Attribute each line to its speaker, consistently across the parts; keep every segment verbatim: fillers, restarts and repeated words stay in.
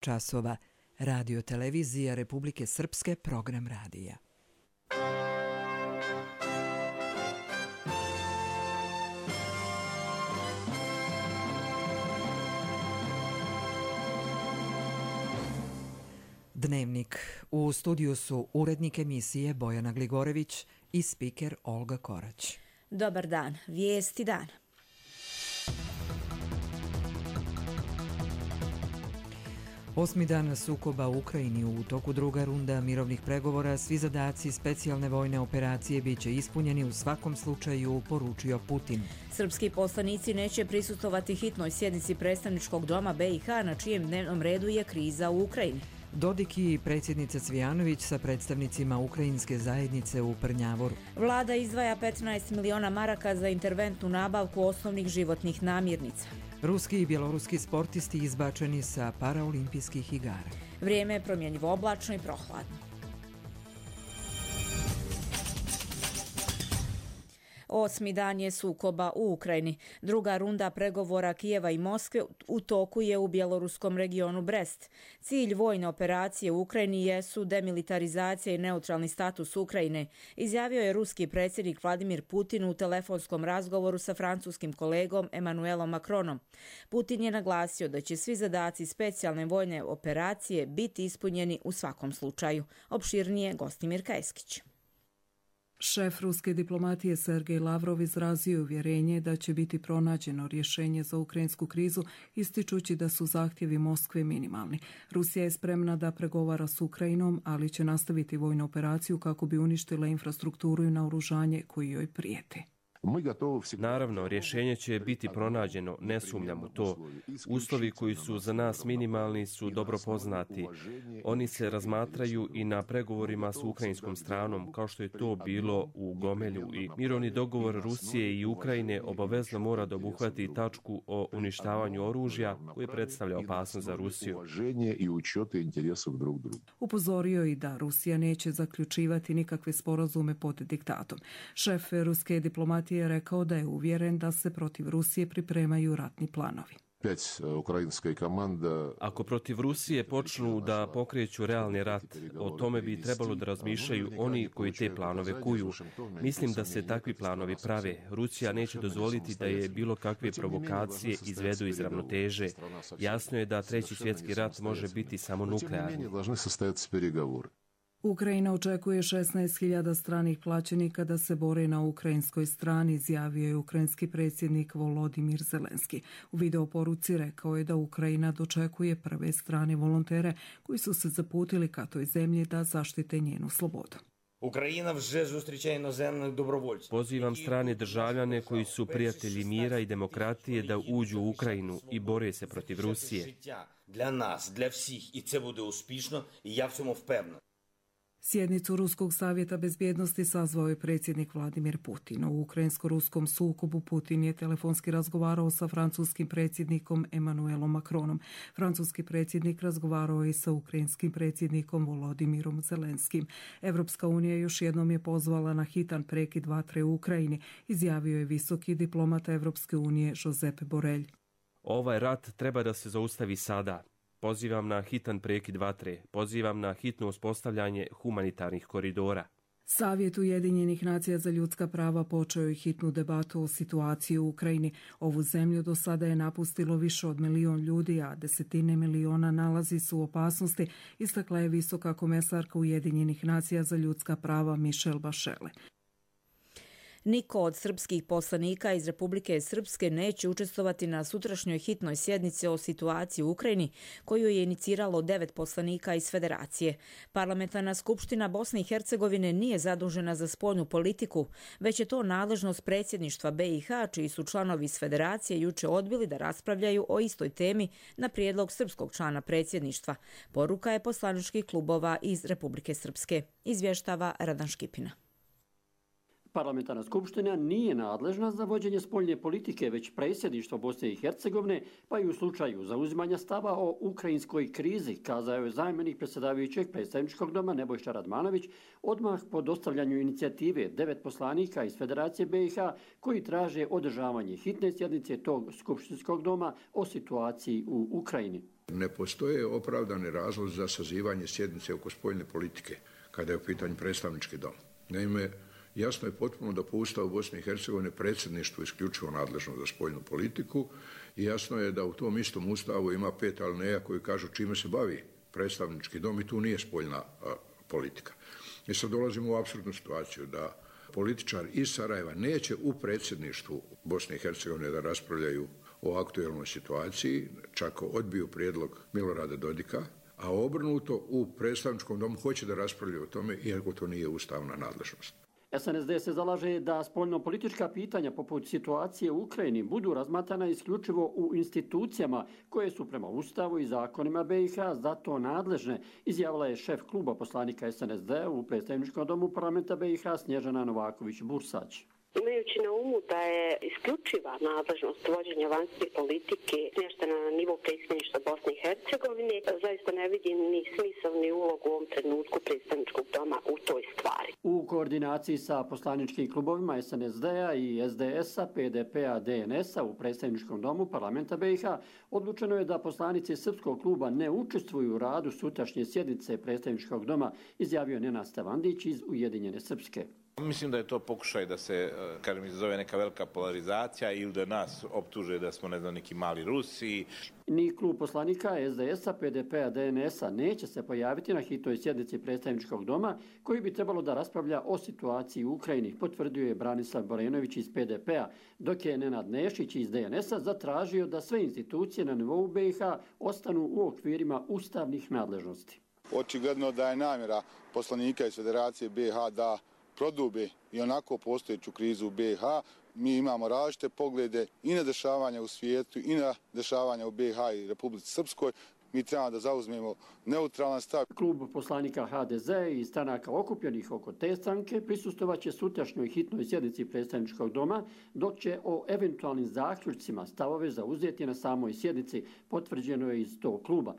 Speaker 1: časova. Radio televizija Republike Srpske, program radija. Dnevnik. U studiju su urednik emisije Bojana Gligorević i spiker Olga Korać.
Speaker 2: Dobar dan. Vijesti dana.
Speaker 1: Osmi dan sukoba u Ukrajini. U toku druga runda mirovnih pregovora svi zadaci specijalne vojne operacije biće ispunjeni u svakom slučaju, poručio Putin.
Speaker 2: Srpski poslanici neće prisustvovati hitnoj sjednici predstavničkog doma B i H na čijem dnevnom redu je kriza u Ukrajini.
Speaker 1: Dodik i predsjednica Cvijanović sa predstavnicima ukrajinske zajednice u Prnjavoru.
Speaker 2: Vlada izdvaja petnaest miliona maraka za interventnu nabavku osnovnih životnih namirnica.
Speaker 1: Ruski i bjeloruski sportisti izbačeni sa paraolimpijskih igara.
Speaker 2: Vrijeme je promjenjivo oblačno i prohladno. Osmi dan je sukoba u Ukrajini. Druga runda pregovora Kijeva i Moskve u toku je u bjeloruskom regionu Brest. Cilj vojne operacije u Ukrajini jesu demilitarizacija i neutralni status Ukrajine, izjavio je ruski predsjednik Vladimir Putin u telefonskom razgovoru sa francuskim kolegom Emmanuelom Macronom. Putin je naglasio da će svi zadaci specijalne vojne operacije biti ispunjeni u svakom slučaju. Opširnije Gostimir Kajskić.
Speaker 3: Šef ruske diplomatije Sergej Lavrov izrazio uvjerenje da će biti pronađeno rješenje za ukrajinsku krizu, ističući da su zahtjevi Moskve minimalni. Rusija je spremna da pregovara s Ukrajinom, ali će nastaviti vojnu operaciju kako bi uništila infrastrukturu i naoružanje koji joj prijeti.
Speaker 4: Naravno, rješenje će biti pronađeno, ne sumnjam u to. Uslovi koji su za nas minimalni su dobro poznati. Oni se razmatraju i na pregovorima s ukrajinskom stranom, kao što je to bilo u Gomelju. I mirovni dogovor Rusije i Ukrajine obavezno mora da obuhvati tačku o uništavanju oružja koje predstavlja opasnost za Rusiju.
Speaker 3: Upozorio i da Rusija neće zaključivati nikakve sporazume pod diktatom. Šef ruske diplomatije je rekao da je uvjeren da se protiv Rusije pripremaju ratni planovi.
Speaker 4: Ako protiv Rusije počnu da pokreću realni rat, o tome bi trebalo da razmišljaju oni koji te planove kuju. Mislim da se takvi planovi prave. Rusija neće dozvoliti da je bilo kakve provokacije izvedu iz ravnoteže. Jasno je da treći svjetski rat može biti samo nuklearni.
Speaker 3: Ukrajina očekuje šesnaest hiljada stranih plaćenika da se bore na ukrajinskoj strani, izjavio je ukrajinski predsjednik Volodimir Zelenski. U videoporuci rekao je da Ukrajina dočekuje prve strane volontere koji su se zaputili ka toj zemlji da zaštite njenu slobodu.
Speaker 5: Ukrajina вже зустрічає іноземних добровольців.
Speaker 4: Pozivam strane državljane koji su prijatelji mira i demokratije da uđu u Ukrajinu i bore se protiv Rusije.
Speaker 5: Для нас, для всіх, і це буде успішно, і я в цьому впевнений.
Speaker 3: Sjednicu Ruskog savjeta bezbjednosti sazvao je predsjednik Vladimir Putin. U ukrajinsko-ruskom sukobu Putin je telefonski razgovarao sa francuskim predsjednikom Emmanuelom Macronom. Francuski predsjednik razgovarao je sa ukrajinskim predsjednikom Volodimirom Zelenskim. Evropska unija još jednom je pozvala na hitan prekid vatre u Ukrajini, izjavio je visoki diplomata Evropske unije Josep Borrell.
Speaker 4: Ovaj rat treba da se zaustavi sada. Pozivam na hitan prekid vatre, pozivam na hitno uspostavljanje humanitarnih koridora.
Speaker 3: Savjet Ujedinjenih nacija za ljudska prava počeo je hitnu debatu o situaciji u Ukrajini. Ovu zemlju do sada je napustilo više od milion ljudi, a desetine miliona nalazi su u opasnosti, istakla je visoka komesarka Ujedinjenih nacija za ljudska prava Michelle Bachelet.
Speaker 2: Niko od srpskih poslanika iz Republike Srpske neće učestvovati na sutrašnjoj hitnoj sjednici o situaciji u Ukrajini, koju je iniciralo devet poslanika iz Federacije. Parlamentarna skupština Bosne i Hercegovine nije zadužena za spoljnu politiku, već je to nadležnost predsjedništva B i H, čiji su članovi iz Federacije juče odbili da raspravljaju o istoj temi na prijedlog srpskog člana predsjedništva. Poruka je poslaničkih klubova iz Republike Srpske. Izvještava Radan Škipina.
Speaker 6: Parlamentarna skupština nije nadležna za vođenje spoljne politike, već predsjedništvo Bosne i Hercegovine, pa i u slučaju zauzimanja stava o ukrajinskoj krizi, kazao je zamjenik predsjedavajućeg predstavničkog doma Nebojša Radmanović odmah po dostavljanju inicijative devet poslanika iz Federacije B i H koji traže održavanje hitne sjednice tog skupštinskog doma o situaciji u Ukrajini.
Speaker 7: Ne postoje opravdani razlozi za sazivanje sjednice oko spoljne politike kada je u pitanju predstavnički dom. Naime, jasno je potpuno da po Ustavu Bosne i Hercegovine predsjedništvo isključivo nadležno za spoljnu politiku i jasno je da u tom istom Ustavu ima pet alineja koji kažu čime se bavi predstavnički dom i tu nije spoljna a, politika. I sad dolazimo u apsurdnu situaciju da političar iz Sarajeva neće u predsjedništvu Bosne i Hercegovine da raspravljaju o aktuelnoj situaciji, čak odbiju prijedlog Milorada Dodika, a obrnuto u predstavničkom domu hoće da raspravljaju o tome, iako to nije ustavna nadležnost.
Speaker 6: S N S D se zalaže da spoljno-politička pitanja poput situacije u Ukrajini budu razmatrana isključivo u institucijama koje su prema Ustavu i zakonima B i H za to nadležne, izjavila je šef kluba poslanika S N S D u predstavničkom domu parlamenta B i H Snježana Novaković-Bursać.
Speaker 8: Imajući na umu da je isključiva nadležnost vođenja vanjske politike smještena na nivo predsjedništva Bosne i Hercegovine, zaista ne vidim ni smisao ni ulogu u ovom trenutku predstavničkog doma u toj stvari.
Speaker 6: U koordinaciji sa poslaničkim klubovima S N S D-a i S D S-a, P D P-a, D N S-a u predstavničkom domu parlamenta B i H odlučeno je da poslanici srpskog kluba ne učestvuju u radu sutrašnje sjednice predstavničkog doma, izjavio Nenad Stevandić iz Ujedinjene Srpske.
Speaker 9: Mislim da je to pokušaj da se, kažem, izazove neka velika polarizacija ili da nas optuže da smo, ne znam, neki mali Rusi.
Speaker 6: Ni klub poslanika S D S-a, P D P-a, D N S-a neće se pojaviti na hitnoj sjednici predstavničkog doma koji bi trebalo da raspravlja o situaciji u Ukrajini, potvrdio je Branislav Borenović iz P D P-a, dok je Nenad Nešić iz D N S-a zatražio da sve institucije na nivou B i H ostanu u okvirima ustavnih nadležnosti.
Speaker 10: Očigledno da je namjera poslanika iz Federacije B i H da prodube i onako postojeću krizu u B i H. Mi imamo različite poglede i na dešavanja u svijetu i na dešavanja u B i H i Republici Srpskoj. Mi trebamo da zauzmemo neutralan stav.
Speaker 6: Klub poslanika H D Z i stranaka okupljenih oko te stranke prisustovaće sutrašnjoj hitnoj sjednici predstavničkog doma, dok će o eventualnim zaključcima stavove zauzeti na samoj sjednici, potvrđeno je iz tog kluba.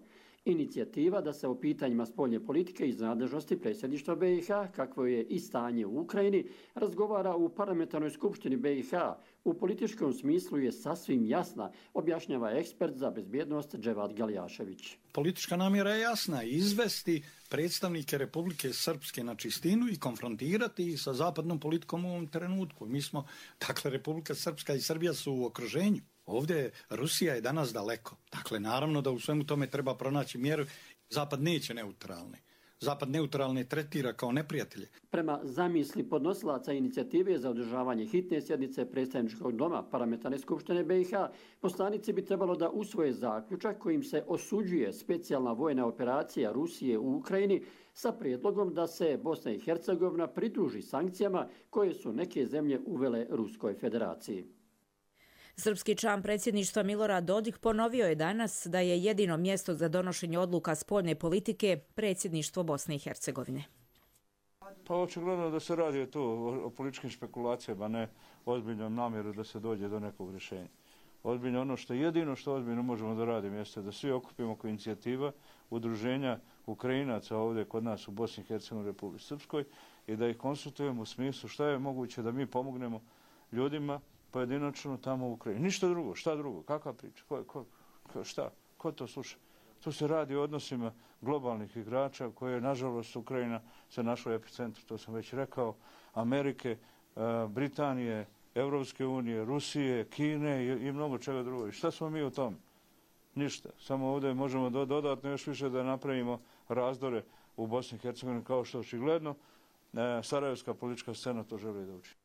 Speaker 6: Inicijativa da se o pitanjima spoljne politike iz nadležnosti predsjedništva B i H, kakvo je i stanje u Ukrajini, razgovara u parlamentarnoj skupštini B i H. U političkom smislu je sasvim jasna, objašnjava ekspert za bezbjednost Dževad Galjašević.
Speaker 11: Politička namjera je jasna, izvesti predstavnike Republike Srpske na čistinu i konfrontirati ih sa zapadnom politikom u ovom trenutku. Mi smo, dakle, Republika Srpska i Srbija su u okruženju. Ovdje Rusija je danas daleko. Dakle, naravno da u svemu tome treba pronaći mjeru. Zapad neće neutralni. Zapad neutralne tretira kao neprijatelje.
Speaker 6: Prema zamisli podnosilaca inicijative za održavanje hitne sjednice predstavničkog doma parlamentarne skupštine B i H, poslanici bi trebalo da usvoje zaključak kojim se osuđuje specijalna vojna operacija Rusije u Ukrajini sa prijedlogom da se Bosna i Hercegovina pridruži sankcijama koje su neke zemlje uvele Ruskoj federaciji.
Speaker 2: Srpski član predsjedništva Milorad Dodik ponovio je danas da je jedino mjesto za donošenje odluka spoljne politike predsjedništvo Bosne i Hercegovine.
Speaker 12: Pa očigledno da se radi tu o političkim špekulacijama, ne ozbiljnom namjeru da se dođe do nekog rješenja. Ozbiljno ono što jedino što ozbiljno možemo da radimo jeste da svi okupimo oko inicijativa udruženja Ukrajinaca ovdje kod nas u Bosni i Hercegovini i Republici Srpskoj i da ih konsultujemo u smislu šta je moguće da mi pomognemo ljudima pojedinačno tamo u Ukrajini. Ništa drugo, šta drugo, kakva priča, ko, ko, ko, šta, ko to sluša? Tu se radi o odnosima globalnih igrača koje, nažalost, Ukrajina se našla u epicentru, to sam već rekao, Amerike, Britanije, Evropske unije, Rusije, Kine i, i mnogo čega drugo. I šta smo mi u tom? Ništa. Samo ovdje možemo dodatno još više da napravimo razdore u Bosni i Hercegovini kao što očigledno sarajevska politička scena to želi da učini.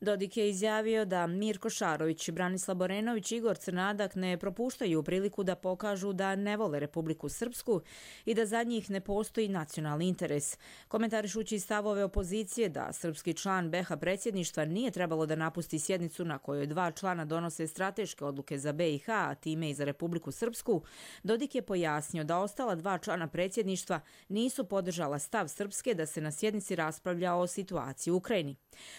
Speaker 2: Dodik je izjavio da Mirko Šarović, Branislav Borenović i Igor Crnadak ne propuštaju priliku da pokažu da ne vole Republiku Srpsku i da za njih ne postoji nacionalni interes. Komentarišući stavove opozicije da srpski član B i H predsjedništva nije trebalo da napusti sjednicu na kojoj dva člana donose strateške odluke za B i H, a time i za Republiku Srpsku, Dodik je pojasnio da ostala dva člana predsjedništva nisu podržala stav Srpske da se na sjednici raspravlja o situaciji u Ukrajini.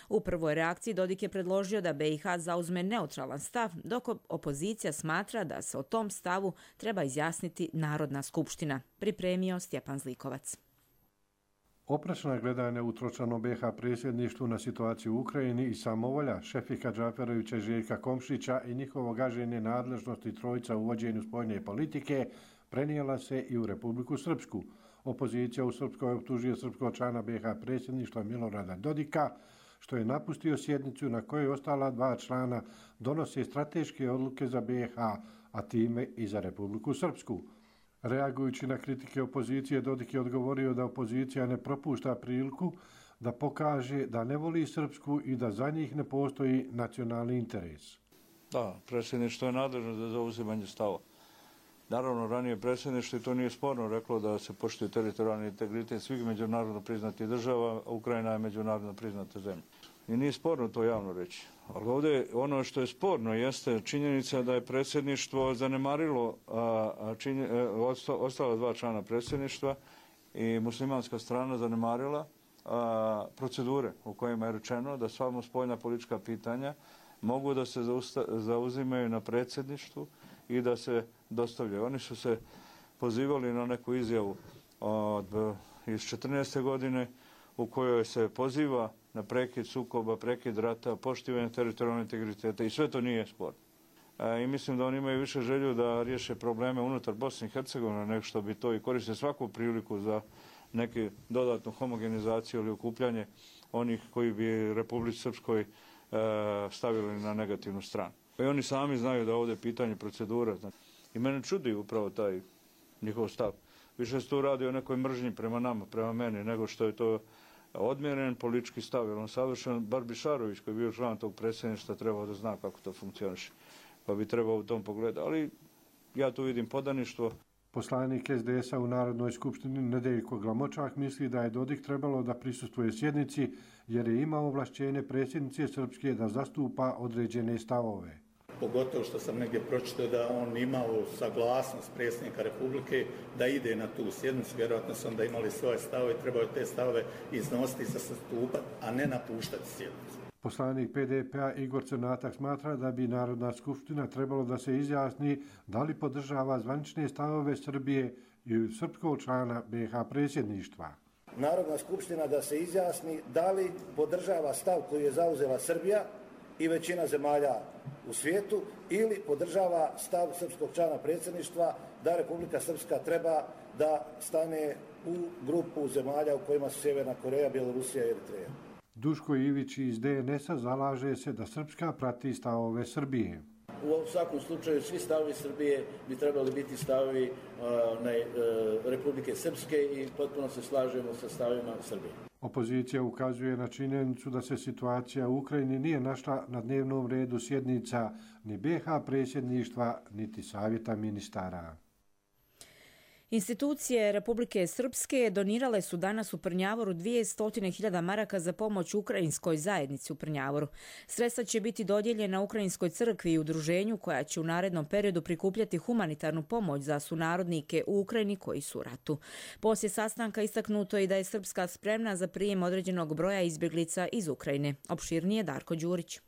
Speaker 2: U prvoj reakciji Dodik je predložio da B i H zauzme neutralan stav, dok opozicija smatra da se o tom stavu treba izjasniti Narodna skupština, pripremio Stjepan Zlikovac.
Speaker 13: Oprečna gledanja u tročlanom B H predsjedništvu na situaciju u Ukrajini i samovolja Šefika Džaferovića, Željka Komšića i njihovo gaženje nadležnosti trojica u vođenju spoljne politike prenijela se i u Republiku Srpsku. Opozicija u Srpskoj optužuje srpskog člana B H predsjedništva Milorada Dodika, što je napustio sjednicu na kojoj ostala dva člana donose strateške odluke za B H, a time i za Republiku Srpsku. Reagujući na kritike opozicije, Dodik je odgovorio da opozicija ne propušta priliku da pokaže da ne voli Srpsku i da za njih ne postoji nacionalni interes.
Speaker 12: Da, predsjedništvo je nadležno za zauzimanje stava. Naravno, ranije predsjedništvo, i to nije sporno, reklo da se poštuje teritorijalni integritet svih međunarodno priznatih država, a Ukrajina je međunarodno priznata zemlja. I nije sporno to javno reći. Ali ovdje ono što je sporno jeste činjenica da je predsjedništvo zanemarilo a, činje, ostala dva člana predsjedništva i muslimanska strana zanemarila a, procedure u kojima je rečeno da sva spoljna politička pitanja mogu da se zausta, zauzimaju na predsjedništvu i da se dostavljaju. Oni su se pozivali na neku izjavu od, iz četrnaeste godine u kojoj se poziva na prekid sukoba, prekid rata, poštivanje teritorijalnog integriteta i sve to nije sporno. E, I mislim da oni imaju više želju da riješe probleme unutar Bosne i Hercegovine nego što bi to i koriste svaku priliku za neke dodatnu homogenizaciju ili okupljanje onih koji bi Republici Srpskoj e, stavili na negativnu stranu. I oni sami znaju da ovdje je pitanje procedura. Znači. I mene čudi upravo taj njihov stav. Više se tu radi o nekoj mržnji prema nama, prema meni, nego što je to odmjeren politički stav. Jer on savršen, bar Bišarović koji je bio član tog predsjedništva trebao da zna kako to funkcioniše. Pa bi trebao u tom pogledu. Ali ja tu vidim podaništvo.
Speaker 13: Poslanik S D S-a u Narodnoj skupštini Nedeljko Glamočak misli da je Dodik trebalo da prisustvuje sjednici jer je imao ovlašćenje predsjednice Srpske da zastupa određene stavove.
Speaker 14: Pogotovo što sam negdje pročitao da on imao saglasnost predsjednika Republike da ide na tu sjednicu, vjerojatno su onda imali svoje stavove i trebaju te stavove iznositi za zastupati, a ne napuštati sjednicu.
Speaker 13: Poslanik P D P-a Igor Crnatak smatra da bi Narodna skupština trebalo da se izjasni da li podržava zvanične stavove Srbije i srpskog člana B H predsjedništva.
Speaker 15: Narodna skupština da se izjasni da li podržava stav koji je zauzela Srbija i većina zemalja u svijetu ili podržava stav srpskog člana predsjedništva da Republika Srpska treba da stane u grupu zemalja u kojima su Sjeverna Koreja, Bjelorusija i Eritreja.
Speaker 13: Duško Ivić iz D N S-a zalaže se da Srpska prati stavove Srbije.
Speaker 15: U svakom slučaju svi stavovi Srbije bi trebali biti stavovi uh, ne, uh, Republike Srpske i potpuno se slažemo sa stavovima Srbije.
Speaker 13: Opozicija ukazuje na činjenicu da se situacija u Ukrajini nije našla na dnevnom redu sjednica ni B H predsjedništva, niti Savjeta ministara.
Speaker 2: Institucije Republike Srpske donirale su danas u Prnjavoru dvjesto hiljada maraka za pomoć ukrajinskoj zajednici u Prnjavoru. Sredstva će biti dodijeljena Ukrajinskoj crkvi i udruženju koja će u narednom periodu prikupljati humanitarnu pomoć za sunarodnike u Ukrajini koji su u ratu. Poslije sastanka istaknuto je da je Srpska spremna za prijem određenog broja izbjeglica iz Ukrajine. Opširnije Darko Đurić.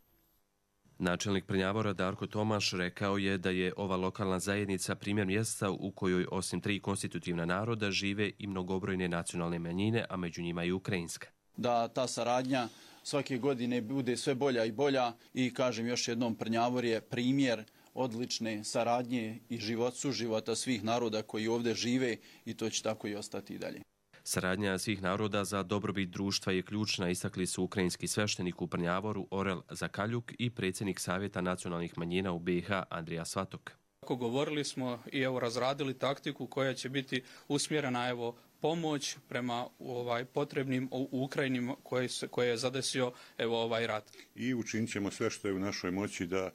Speaker 4: Načelnik Prnjavora Darko Tomaš rekao je da je ova lokalna zajednica primjer mjesta u kojoj osim tri konstitutivna naroda žive i mnogobrojne nacionalne manjine, a među njima i ukrajinska.
Speaker 16: Da ta saradnja svake godine bude sve bolja i bolja i kažem još jednom, Prnjavor je primjer odlične saradnje i život, suživota svih naroda koji ovdje žive i to će tako i ostati i dalje.
Speaker 4: Saradnja svih naroda za dobrobit društva je ključna, istakli su ukrajinski sveštenik u Prnjavoru Orel Zakaljuk i predsjednik Savjeta nacionalnih manjina u B H Andrija Svatok.
Speaker 17: Govorili smo i evo razradili taktiku koja će biti usmjerena evo pomoć prema ovaj potrebnim u Ukrajini koje, koje je zadesio evo ovaj rat.
Speaker 18: I učinit ćemo sve što je u našoj moći da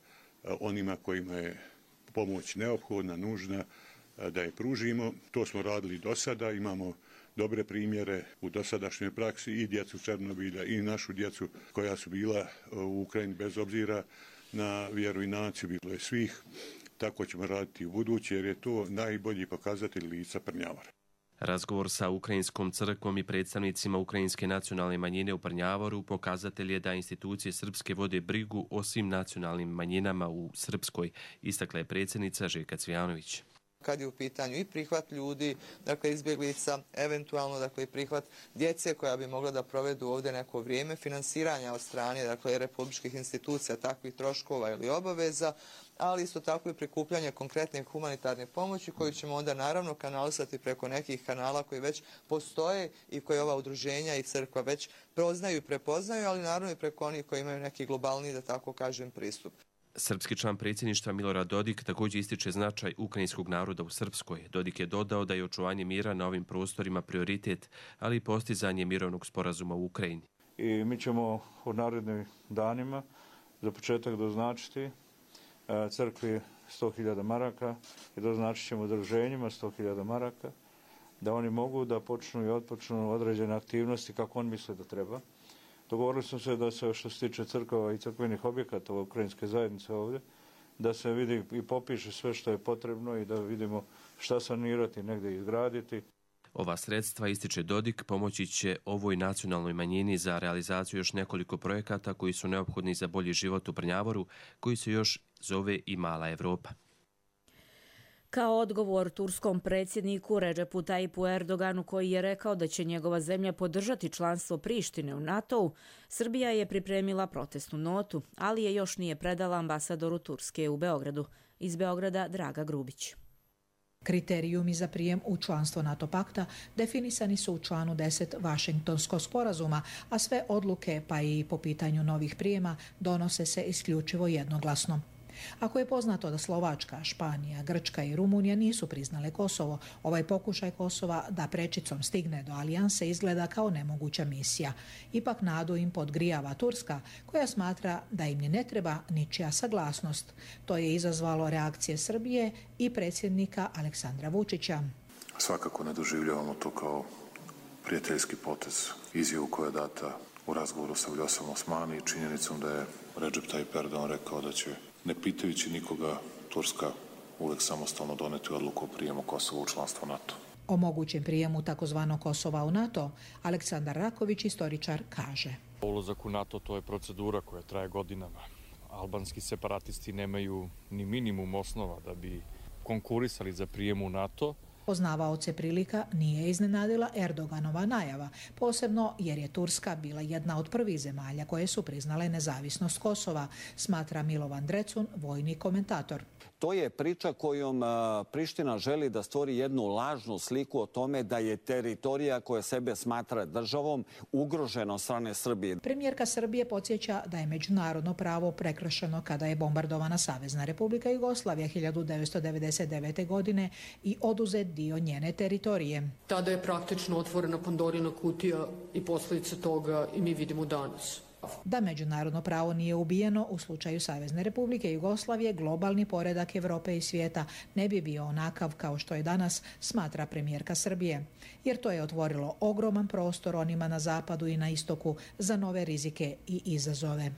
Speaker 18: onima kojima je pomoć neophodna, nužna, da je pružimo. To smo radili do sada, imamo dobre primjere u dosadašnjoj praksi i djecu Černobilja i našu djecu koja su bila u Ukrajini bez obzira na vjeru i naciju, bilo je svih. Tako ćemo raditi u buduće jer je to najbolji pokazatelj lica Prnjavora.
Speaker 4: Razgovor sa Ukrajinskom crkvom i predstavnicima Ukrajinske nacionalne manjine u Prnjavoru pokazatelj je da institucije srpske vode brigu o svim nacionalnim manjinama u Srpskoj, istakla je predsjednica Željka Cvijanović.
Speaker 19: kad je u pitanju i prihvat ljudi, dakle izbjeglica, eventualno dakle i prihvat djece koja bi mogla da provedu ovdje neko vrijeme, finansiranja od strane dakle republičkih institucija takvih troškova ili obaveza, ali isto tako i prikupljanje konkretne humanitarne pomoći koju ćemo onda naravno kanalisati preko nekih kanala koji već postoje i koje ova udruženja i crkva već poznaju i prepoznaju, ali naravno i preko onih koji imaju neki globalni, da tako kažem, pristup.
Speaker 4: Srpski član predsjedništva Milorad Dodik također ističe značaj ukrajinskog naroda u Srpskoj. Dodik je dodao da je očuvanje mira na ovim prostorima prioritet, ali i postizanje mirovnog sporazuma u Ukrajini.
Speaker 12: I mi ćemo u narednim danima za početak doznačiti crkvi sto hiljada maraka i doznačit ćemo udruženjima sto hiljada maraka, da oni mogu da počnu i otpočnu određene aktivnosti kako on misle da treba. Dogovorili smo se da se što se tiče crkava i crkvenih objekata ukrajinske zajednice ovdje, da se vidi i popiše sve što je potrebno i da vidimo šta sanirati, negdje izgraditi.
Speaker 4: Ova sredstva, ističe Dodik, pomoći će ovoj nacionalnoj manjini za realizaciju još nekoliko projekata koji su neophodni za bolji život u Brnjavoru, koji se još zove i Mala Evropa.
Speaker 2: Kao odgovor turskom predsjedniku Redžepu Tayipu Erdoganu, koji je rekao da će njegova zemlja podržati članstvo Prištine u NATO-u, Srbija je pripremila protestnu notu, ali je još nije predala ambasadoru Turske u Beogradu. Iz Beograda Draga Grubić.
Speaker 20: Kriterijumi za prijem u članstvo NATO pakta definisani su u članu deset Vašingtonskog sporazuma, a sve odluke, pa i po pitanju novih prijema, donose se isključivo jednoglasno. Ako je poznato da Slovačka, Španija, Grčka i Rumunija nisu priznale Kosovo, ovaj pokušaj Kosova da prečicom stigne do alijanse izgleda kao nemoguća misija. Ipak nadu im podgrijava Turska, koja smatra da im ni ne treba ničija saglasnost. To je izazvalo reakcije Srbije i predsjednika Aleksandra Vučića.
Speaker 21: Svakako ne doživljavamo to kao prijateljski potez. Izjavu koja je data u razgovoru sa Vljosom Osmani i činjenicom da je Redžep Tayyip Erdogan rekao da će, ne pitajući nikoga, Turska uvek samostalno doneti odluku o prijemu Kosova u članstvo NATO.
Speaker 20: O mogućem prijemu takozvanog Kosova u NATO, Aleksandar Raković, istoričar, kaže.
Speaker 22: Ulazak u NATO to je procedura koja traje godinama. Albanski separatisti nemaju ni minimum osnova da bi konkurisali za prijem u NATO.
Speaker 20: Poznavaoce prilika nije iznenadila Erdoganova najava, posebno jer je Turska bila jedna od prvih zemalja koje su priznale nezavisnost Kosova, smatra Milovan Drecun, vojni komentator.
Speaker 23: To je priča kojom Priština želi da stvori jednu lažnu sliku o tome da je teritorija koja sebe smatra državom ugrožena od strane Srbije.
Speaker 20: Premijerka Srbije podsjeća da je međunarodno pravo prekršeno kada je bombardovana Savezna Republika Jugoslavija hiljadu devetsto devedeset devete. godine i oduzet dio njene teritorije.
Speaker 24: Tada je praktično otvorena Pandorina kutija i posljedice toga i mi vidimo danas.
Speaker 20: Da međunarodno pravo nije ubijeno u slučaju Savezne Republike Jugoslavije, globalni poredak Evrope i svijeta ne bi bio onakav kao što je danas, smatra premijerka Srbije. Jer to je otvorilo ogroman prostor onima na zapadu i na istoku za nove rizike i izazove.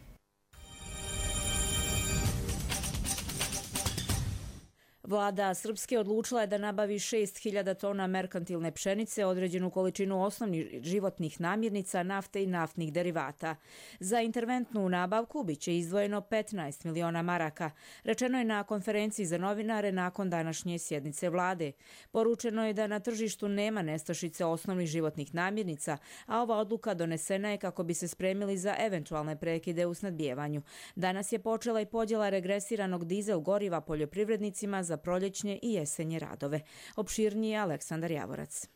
Speaker 2: Vlada Srpske odlučila je da nabavi šest hiljada tona merkantilne pšenice, određenu količinu osnovnih životnih namirnica, nafte i naftnih derivata. Za interventnu nabavku biće izdvojeno petnaest miliona maraka, rečeno je na konferenciji za novinare nakon današnje sjednice vlade. Poručeno je da na tržištu nema nestašice osnovnih životnih namirnica, a ova odluka donesena je kako bi se spremili za eventualne prekide u snabdijevanju. Danas je počela i podjela regresiranog dizel goriva poljoprivrednicima za proljećnje i jesenje radove. Opširnije Aleksandar Javorac.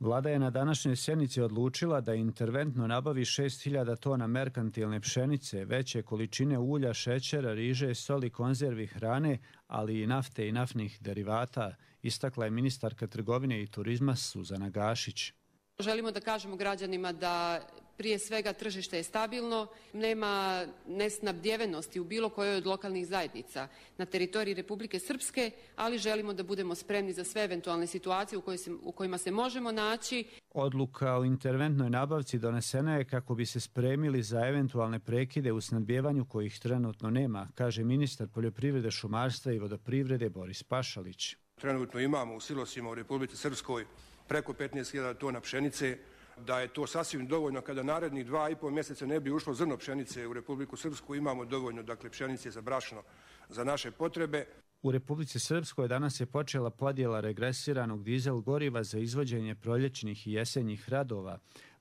Speaker 25: Vlada je na današnjoj sjednici odlučila da interventno nabavi šest hiljada tona merkantilne pšenice, veće količine ulja, šećera, riže, soli, konzervi, hrane, ali i nafte i naftnih derivata, istakla je ministarka trgovine i turizma Suzana Gašić.
Speaker 26: Želimo da kažemo građanima da prije svega tržište je stabilno, nema nesnabdjevenosti u bilo kojoj od lokalnih zajednica na teritoriji Republike Srpske, ali želimo da budemo spremni za sve eventualne situacije u, se, u kojima se možemo naći.
Speaker 25: Odluka o interventnoj nabavci donesena je kako bi se spremili za eventualne prekide u snabdjevanju kojih trenutno nema, kaže ministar poljoprivrede, šumarstva i vodoprivrede Boris Pašalić.
Speaker 27: Trenutno imamo u silosima u Republici Srpskoj preko petnaest hiljada tona pšenice, da je to sasvim dovoljno kada narednih dva i pol mjeseca ne bi ušlo zrno pšenice u Republiku Srpsku, imamo dovoljno dakle pšenice za brašno za naše potrebe.
Speaker 25: U Republici Srpskoj danas je počela podjela regresiranog dizel goriva za izvođenje proljećnih i jesenjih radova.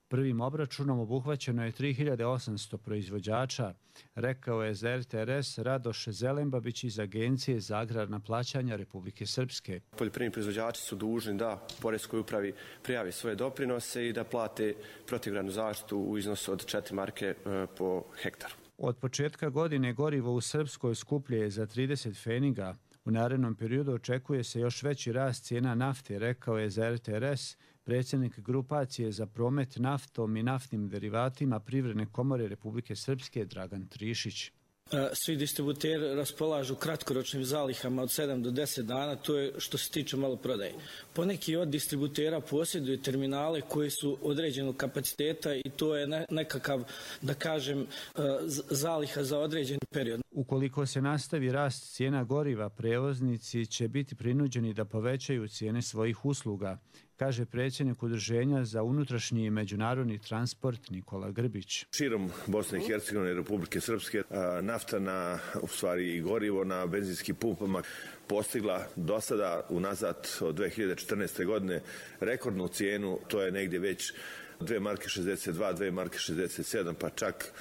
Speaker 25: Prvim obračunom obuhvaćeno je tri hiljade osamsto proizvođača, rekao je za er te er es Radoš Zelembabić iz Agencije za agrarna plaćanja Republike Srpske.
Speaker 1: Poljoprivredni proizvođači su dužni da poreskoj upravi prijavi svoje doprinose i da plate protivgradnu zaštitu u iznosu od četiri marke po hektaru.
Speaker 25: Od početka godine gorivo u Srpskoj skuplje je za trideset pfeniga. U narednom periodu očekuje se još veći rast cijena nafte, rekao je za er te er es predsjednik grupacije za promet naftom i naftnim derivatima Privredne komore Republike Srpske Dragan Trišić.
Speaker 3: Svi distributeri raspolažu kratkoročnim zalihama od sedam do deset dana, to je što se tiče maloprodaje. Poneki od distributera posjeduju terminale koji su određenog kapaciteta i to je nekakav, da kažem, zaliha za određeni period.
Speaker 25: Ukoliko se nastavi rast cijena goriva, prevoznici će biti prinuđeni da povećaju cijene svojih usluga, kaže predsjednik Udruženja za unutrašnji i međunarodni transport Nikola Grbić.
Speaker 5: Širom Bosne i Hercegovine i Republike Srpske nafta na, u stvari i gorivo na benzinskim pumpama postigla do sada unazad od dve hiljade četrnaeste. godine rekordnu cijenu, to je negdje već dve marke šezdeset dva, dve marke šezdeset sedam, pa čak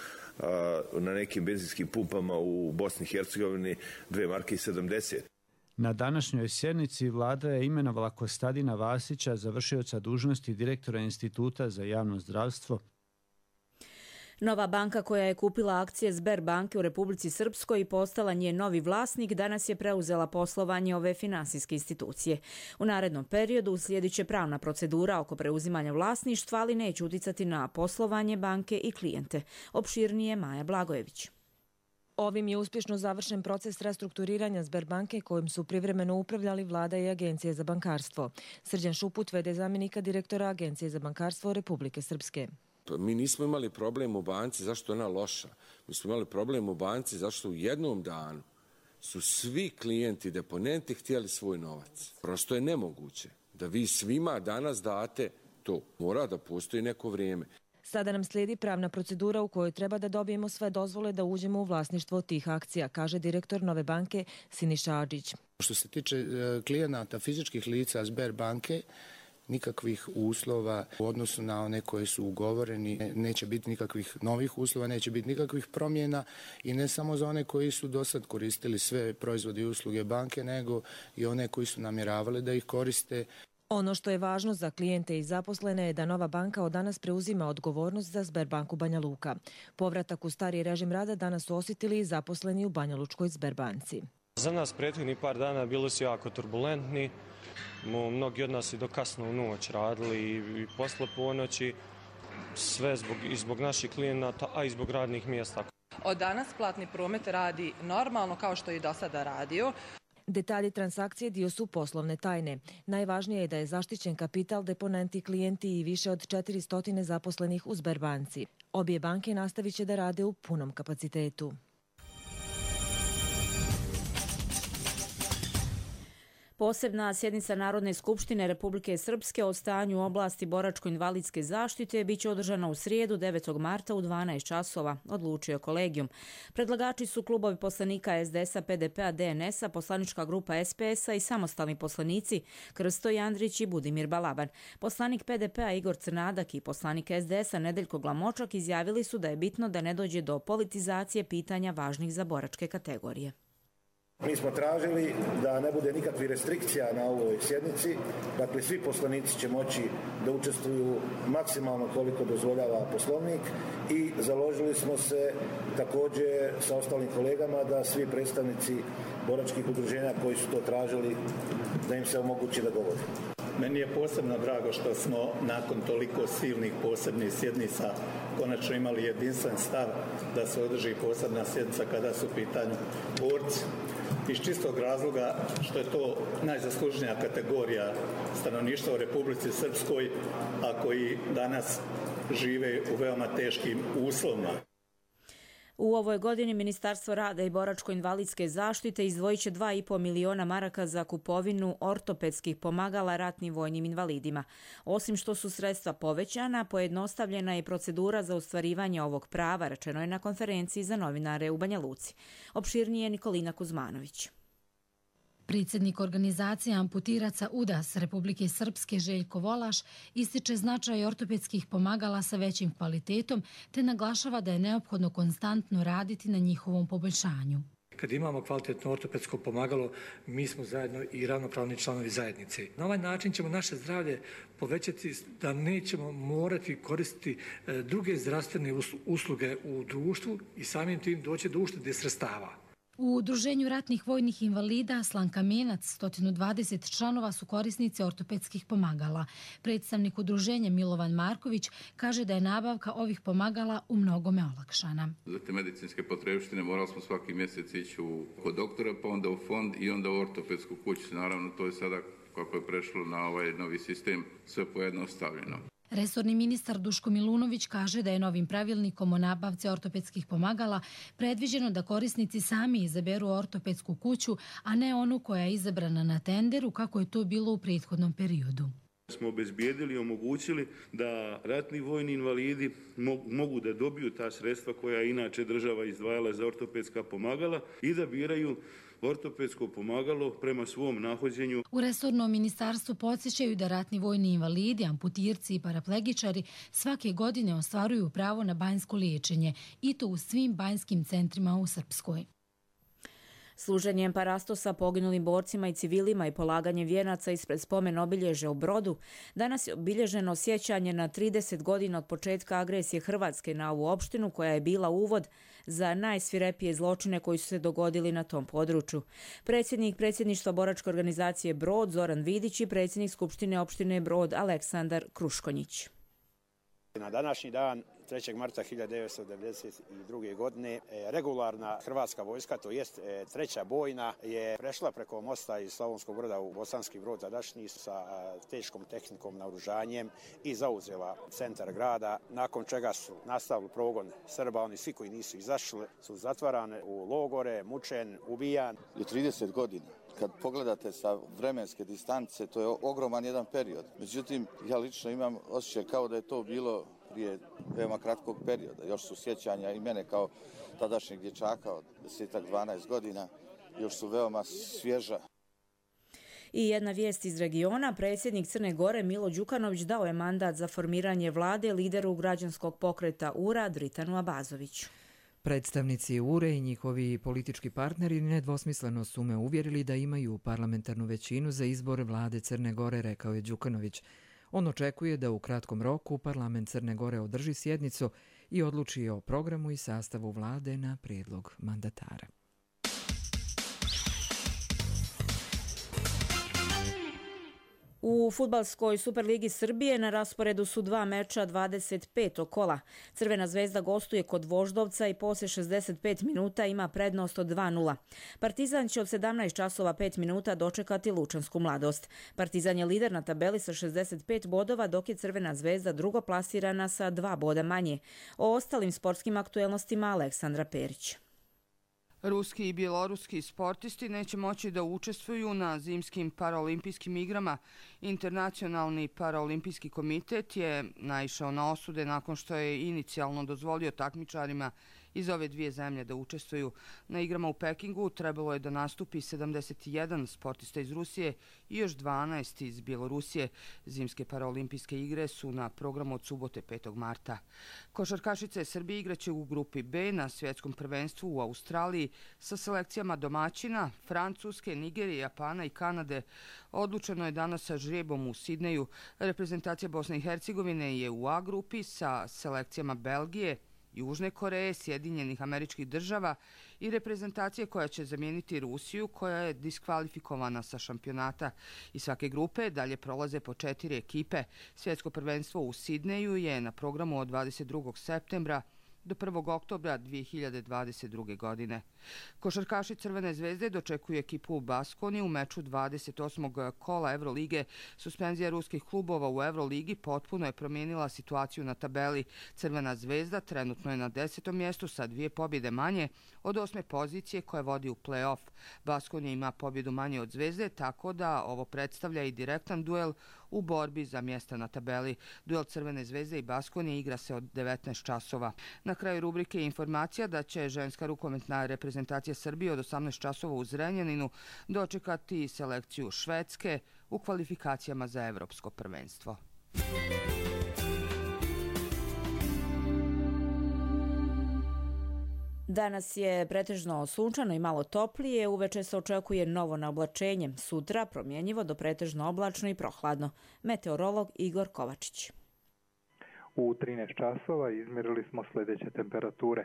Speaker 5: na nekim benzinskim pumpama u Bosni i Hercegovini dve marke sedamdeset.
Speaker 25: Na današnjoj sjednici vlada je imenovala Kostadina Vasića za vršioca dužnosti direktora Instituta za javno zdravstvo.
Speaker 2: Nova banka koja je kupila akcije Sberbanke u Republici Srpskoj i postala njen novi vlasnik danas je preuzela poslovanje ove finansijske institucije. U narednom periodu uslijedit će pravna procedura oko preuzimanja vlasništva, ali neće uticati na poslovanje banke i klijente. Opširnije Maja Blagojević.
Speaker 7: Ovim je uspješno završen proces restrukturiranja Sberbanke kojim su privremeno upravljali vlada i Agencije za bankarstvo. Srđan Šuput, v d zamjenika direktora Agencije za bankarstvo Republike Srpske.
Speaker 8: Mi nismo imali problem u banci zašto je ona loša. Mi smo imali problem u banci zašto u jednom danu su svi klijenti, deponenti htjeli svoj novac. Prosto je nemoguće da vi svima danas date to. Mora da postoji neko vrijeme.
Speaker 7: Sada nam slijedi pravna procedura u kojoj treba da dobijemo sve dozvole da uđemo u vlasništvo tih akcija, kaže direktor Nove banke Siniša Adžić.
Speaker 9: Što se tiče klijenata fizičkih lica Sberbanke, nikakvih uslova u odnosu na one koji su ugovoreni, neće biti nikakvih novih uslova, neće biti nikakvih promjena i ne samo za one koji su do sad koristili sve proizvode i usluge banke, nego i one koji su namjeravali da ih koriste.
Speaker 7: Ono što je važno za klijente i zaposlene je da Nova banka od danas preuzima odgovornost za Sberbanku Banja Luka. Povratak u stari režim rada danas su osjetili i zaposleni u Banja Lučkoj Sberbanci.
Speaker 10: Za nas prethodnih par dana bili su jako turbulentni. Mnogi od nas i do kasno u noć radili i posle ponoći, sve zbog, i zbog naših klijenata, a i zbog radnih mjesta.
Speaker 28: Od danas platni promet radi normalno kao što je i do sada radio.
Speaker 7: Detalji transakcije dio su poslovne tajne. Najvažnije je da je zaštićen kapital, deponenti, klijenti i više od četiristo zaposlenih u Sberbanci. Obje banke nastavit će da rade u punom kapacitetu.
Speaker 2: Posebna sjednica Narodne skupštine Republike Srpske o stanju u oblasti boračko-invalidske zaštite biće održana u srijedu devetog marta u dvanaest časova, odlučio kolegijum. Predlagači su klubovi poslanika es de es a, pe de pe a, de en es a, poslanička grupa es pe es a i samostalni poslanici Krsto Jandrić i Budimir Balaban. Poslanik pe de pe a Igor Crnadak i poslanik es de es a Nedeljko Glamočak izjavili su da je bitno da ne dođe do politizacije pitanja važnih za boračke kategorije.
Speaker 15: Mi smo tražili da ne bude nikakvih restrikcija na ovoj sjednici, dakle svi poslanici će moći da učestvuju maksimalno koliko dozvoljava poslovnik i založili smo se također sa ostalim kolegama da svi predstavnici boračkih udruženja koji su to tražili da im se omogući da govore.
Speaker 14: Meni je posebno drago što smo nakon toliko silnih posebnih sjednica konačno imali jedinstven stav da se održi posebna sjednica kada su u pitanju borci. Iz čistog razloga što je to najzaslužnija kategorija stanovništva u Republici Srpskoj, a koji danas žive u veoma teškim uslovima.
Speaker 2: U ovoj godini Ministarstvo rada i boračko-invalidske zaštite izdvojit će dva i po miliona maraka za kupovinu ortopedskih pomagala ratnim vojnim invalidima. Osim što su sredstva povećana, pojednostavljena je procedura za ostvarivanje ovog prava, rečeno je na konferenciji za novinare u Banja Luci. Opširnije Nikolina Kuzmanović.
Speaker 6: Predsjednik organizacije amputiraca U D A S Republike Srpske Željko Volaš ističe značaj ortopedskih pomagala sa većim kvalitetom te naglašava da je neophodno konstantno raditi na njihovom poboljšanju.
Speaker 11: Kad imamo kvalitetno ortopedsko pomagalo, mi smo zajedno i ravnopravni članovi zajednice. Na ovaj način ćemo naše zdravlje povećati da nećemo morati koristiti druge zdravstvene usluge u društvu i samim tim doći do uštede sredstava.
Speaker 6: U Udruženju ratnih vojnih invalida Slankamenac sto dvadeset članova su korisnici ortopedskih pomagala. Predstavnik udruženja Milovan Marković kaže da je nabavka ovih pomagala u mnogome olakšana.
Speaker 12: Za te medicinske potrebštine morali smo svaki mjesec ići u, kod doktora, pa onda u fond i onda u ortopedsku kuću. Naravno, to je sada, kako je prešlo na ovaj novi sistem, sve pojednostavljeno.
Speaker 6: Resorni ministar Duško Milunović kaže da je novim pravilnikom o nabavci ortopedskih pomagala predviđeno da korisnici sami izaberu ortopedsku kuću, a ne onu koja je izabrana na tenderu kako je to bilo u prethodnom periodu.
Speaker 13: Smo obezbijedili i omogućili da ratni vojni invalidi mogu da dobiju ta sredstva koja inače država izdvajala za ortopedska pomagala i da biraju ortopedsko pomagalo prema svom nahođenju.
Speaker 6: U resornom ministarstvu podsjećaju da ratni vojni invalidi, amputirci i paraplegičari svake godine ostvaruju pravo na banjsko liječenje i to u svim banjskim centrima u Srpskoj.
Speaker 2: Služenjem parastosa poginulim borcima i civilima i polaganjem vijenaca ispred spomen obilježja u Brodu, danas je obilježeno sjećanje na trideset godina od početka agresije Hrvatske na ovu opštinu koja je bila uvod za najsvirepije zločine koji su se dogodili na tom području. Predsjednik predsjedništva boračke organizacije Brod Zoran Vidić i predsjednik Skupštine opštine Brod Aleksandar Kruškonjić.
Speaker 16: Na današnji dan trećeg marta hiljadu devetsto devedeset druge. godine regularna hrvatska vojska, to jest treća bojna, je prešla preko mosta iz Slavonskog Broda u Bosanski Brod tadašnji sa teškom tehnikom, naoružanjem i zauzela centar grada, nakon čega su nastavili progon Srba. Oni svi koji nisu izašli su zatvarani u logore, mučen, ubijan.
Speaker 17: I trideset godina. Kad pogledate sa vremenske distance, to je ogroman jedan period. Međutim, ja lično imam osjećaj kao da je to bilo prije veoma kratkog perioda. Još su sjećanja i mene kao tadašnjeg dječaka od deset dvanaest godina, još su veoma svježa.
Speaker 2: I jedna vijest iz regiona, predsjednik Crne Gore Milo Đukanović dao je mandat za formiranje vlade lideru građanskog pokreta U R A Dritanu Abazoviću.
Speaker 18: Predstavnici U R E i njihovi politički partneri nedvosmisleno su me uvjerili da imaju parlamentarnu većinu za izbor vlade Crne Gore, rekao je Đukanović. On očekuje da u kratkom roku parlament Crne Gore održi sjednicu i odluči o programu i sastavu vlade na prijedlog mandatara.
Speaker 2: U fudbalskoj Superligi Srbije na rasporedu su dva meča dvadeset petog kola. Crvena zvezda gostuje kod Voždovca i poslije šezdeset pet minuta ima prednost od dva nula. Partizan će od sedamnaest časova pet minuta dočekati Lučansku Mladost. Partizan je lider na tabeli sa šezdeset pet bodova, dok je Crvena zvezda drugo plasirana sa dva boda manje. O ostalim sportskim aktuelnostima Aleksandra Perić.
Speaker 19: Ruski i bjeloruski sportisti neće moći da učestvuju na zimskim paraolimpijskim igrama. Internacionalni paraolimpijski komitet je naišao na osude nakon što je inicijalno dozvolio takmičarima iz ove dvije zemlje da učestvuju. Na igrama u Pekingu trebalo je da nastupi sedamdeset jedan sportista iz Rusije i još dvanaest iz Bjelorusije. Zimske paraolimpijske igre su na programu od subote petog marta. Košarkašice Srbije igraće u grupi B na svjetskom prvenstvu u Australiji sa selekcijama domaćina, Francuske, Nigerije, Japana i Kanade. Odlučeno je danas sa žrebom u Sidneju. Reprezentacija Bosne i Hercegovine je u A grupi sa selekcijama Belgije, Južne Koreje, Sjedinjenih Američkih Država i reprezentacije koja će zamijeniti Rusiju, koja je diskvalifikovana sa šampionata. Iz svake grupe dalje prolaze po četiri ekipe. Svjetsko prvenstvo u Sidneju je na programu od dvadeset drugog septembra do prvog oktobra dvije hiljade dvadeset druge. godine. Košarkaši Crvene zvezde dočekuju ekipu u Baskoni u meču dvadeset osmog kola Evrolige. Suspenzija ruskih klubova u Evroligi potpuno je promijenila situaciju na tabeli. Crvena zvezda trenutno je na desetom mjestu sa dvije pobjede manje od osme pozicije koje vodi u play-off. Baskonija ima pobjedu manje od Zvezde, tako da ovo predstavlja i direktan duel u borbi za mjesta na tabeli. Duel Crvene zvezde i Baskonije igra se od devetnaest časova. Na kraju rubrike je informacija da će ženska rukometna reprezentacija Srbije od osamnaest časova u Zrenjaninu dočekati selekciju Švedske u kvalifikacijama za evropsko prvenstvo.
Speaker 2: Danas je pretežno sunčano i malo toplije, uveče se očekuje novo naoblačenje, sutra promjenjivo do pretežno oblačno i prohladno. Meteorolog Igor Kovačić.
Speaker 4: U trinaest časova izmjerili smo sljedeće temperature.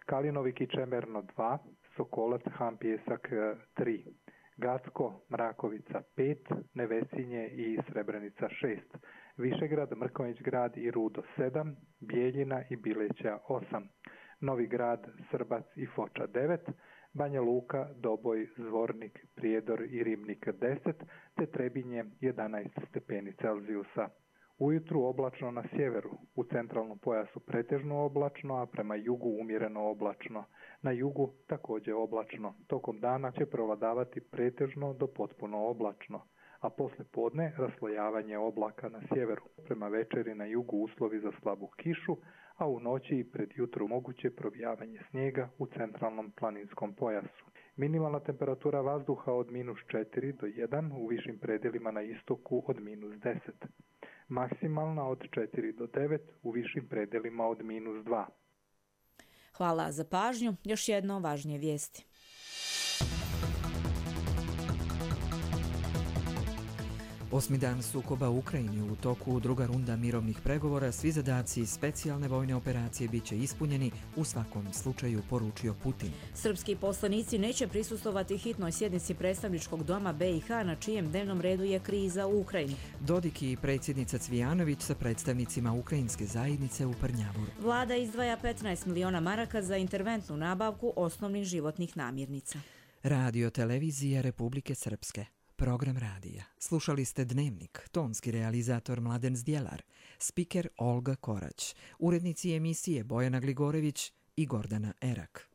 Speaker 4: Kalinovik i Čemerno dva, Sokolac, Han Pjesak tri, Gacko, Mrakovica pet, Nevesinje i Srebrenica šest, Višegrad, Mrkonjić grad i Rudo sedam, Bijeljina i Bileća osam, Novi grad, Srbac i Foča devet, Banja Luka, Doboj, Zvornik, Prijedor i Ribnik deset, te Trebinje jedanaest stepeni Celzijusa. Ujutru oblačno na sjeveru, u centralnom pojasu pretežno oblačno, a prema jugu umjereno oblačno. Na jugu također oblačno. Tokom dana će prevladavati pretežno do potpuno oblačno, a poslije podne raslojavanje oblaka na sjeveru. Prema večeri na jugu uslovi za slabu kišu, a u noći i pred jutru moguće provijavanje snijega u centralnom planinskom pojasu. Minimalna temperatura vazduha od minus četiri do jedan, u višim predjelima na istoku od minus deset. Maksimalna od četiri do devet, u višim predjelima od minus dva.
Speaker 2: Hvala za pažnju. Još jedno važnije vijesti.
Speaker 18: Osmi dan sukoba u Ukrajini, u toku druga runda mirovnih pregovora, svi zadaci specijalne vojne operacije bit će ispunjeni, u svakom slučaju poručio Putin.
Speaker 2: Srpski poslanici neće prisustovati hitnoj sjednici predstavničkog doma B i H na čijem dnevnom redu je kriza u Ukrajini.
Speaker 18: Dodik i predsjednica Cvijanović sa predstavnicima ukrajinske zajednice u Prnjavoru.
Speaker 2: Vlada izdvaja petnaest miliona maraka za interventnu nabavku osnovnih životnih namirnica.
Speaker 18: Radio televizija Republike Srpske. Program radija. Slušali ste Dnevnik, tonski realizator Mladen Zdjelar, spiker Olga Korać, urednici emisije Bojana Gligorević i Gordana Erak.